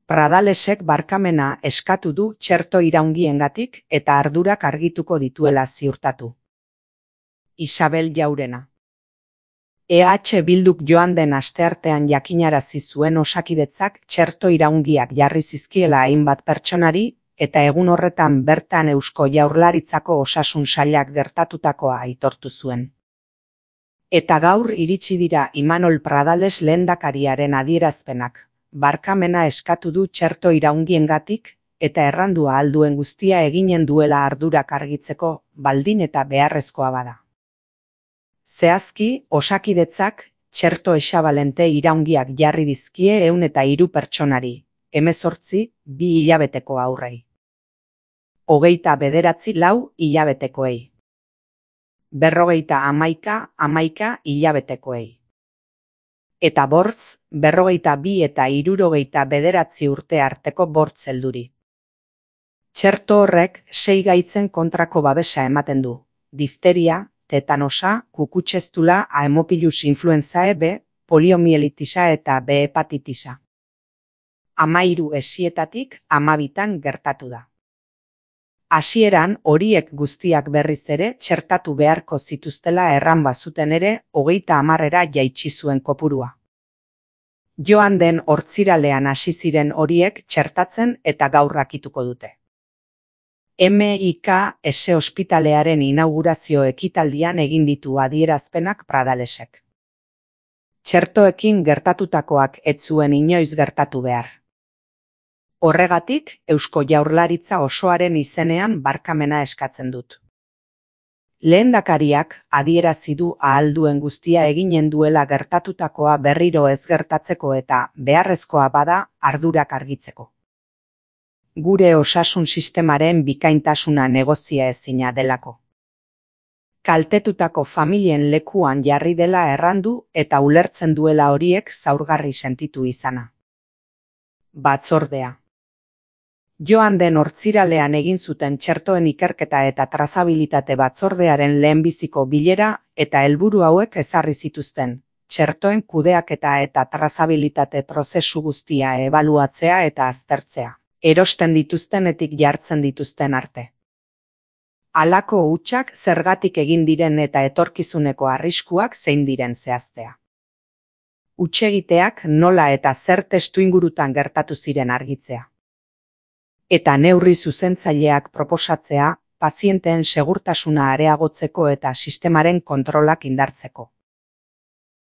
Pradalesek barkamena eskatu du txerto iraungiengatik eta ardurak argituko dituela ziurtatu. Isabel Jaurena. EH Bilduk joan den asteartean jakinarazi zuen Osakidetzak txerto iraungiak jarri zizkiela hainbat pertsonari eta egun horretan bertan Eusko Jaurlaritzako Osasun Sailak gertatutakoa aitortu zuen. Eta gaur iritsi dira Imanol Pradales lehendakariaren adierazpenak. Barkamena eskatu du txerto iraungiengatik eta errandu ahal duen guztia eginen duela ardurak argitzeko, baldin eta beharrezkoa bada. Zehazki, Osakidetzak txerto esabalente iraungiak jarri dizkie 103 pertsonari, 18, 2 hilabeteko haurrei. 29 4 hilabetekoei. 51 11 hilabetekoei. Eta bortz, 42 eta 69 urte arteko bortz helduri. Txerto horrek 6 gaitzen kontrako babesa ematen du: difteria, tetanosa, kukutxestula, Haemophilus influenzae B, poliomielitisa eta B hepatitisa. 13 hesietatik 12 gertatu da. Hasieran horiek guztiak berriz ere txertatu beharko zituztela erran bazuten ere 30 jaitsi zuen kopurua. Joan den hortziralean hasi ziren horiek txertatzen eta gaur akituko dute. MIKS ospitalearen inaugurazio ekitaldian egin ditu adierazpenak Pradalesek. Txertoekin gertatutakoak ez zuen inoiz gertatu behar. Horregatik, Eusko Jaurlaritza osoaren izenean barkamena eskatzen dut. Lehendakariak adierazi du ahal duen guztia eginen duela gertatutakoa berriro ez gertatzeko eta beharrezkoa bada ardurak argitzeko. Gure osasun sistemaren bikaintasuna negozia ezina delako. Kaltetutako familien lekuan jarri dela errandu eta ulertzen duela horiek zaurgarri sentitu izana. Batzordea. Joan den hortziralean egin zuten txertoen ikerketa eta trazabilitate batzordearen lehenbiziko bilera eta helburu hauek ezarri zituzten: txertoen kudeaketa eta trazabilitate prozesu guztia ebaluatzea eta aztertzea, erosten dituztenetik jartzen dituzten arte. Halako hutsak zergatik egin diren eta etorkizuneko arriskuak zein diren zehaztea. Hutsegiteak nola eta zer testuingurutan gertatu ziren argitzea. Eta neurri zuzentzaileak proposatzea, pazienteen segurtasuna areagotzeko eta sistemaren kontrolak indartzeko.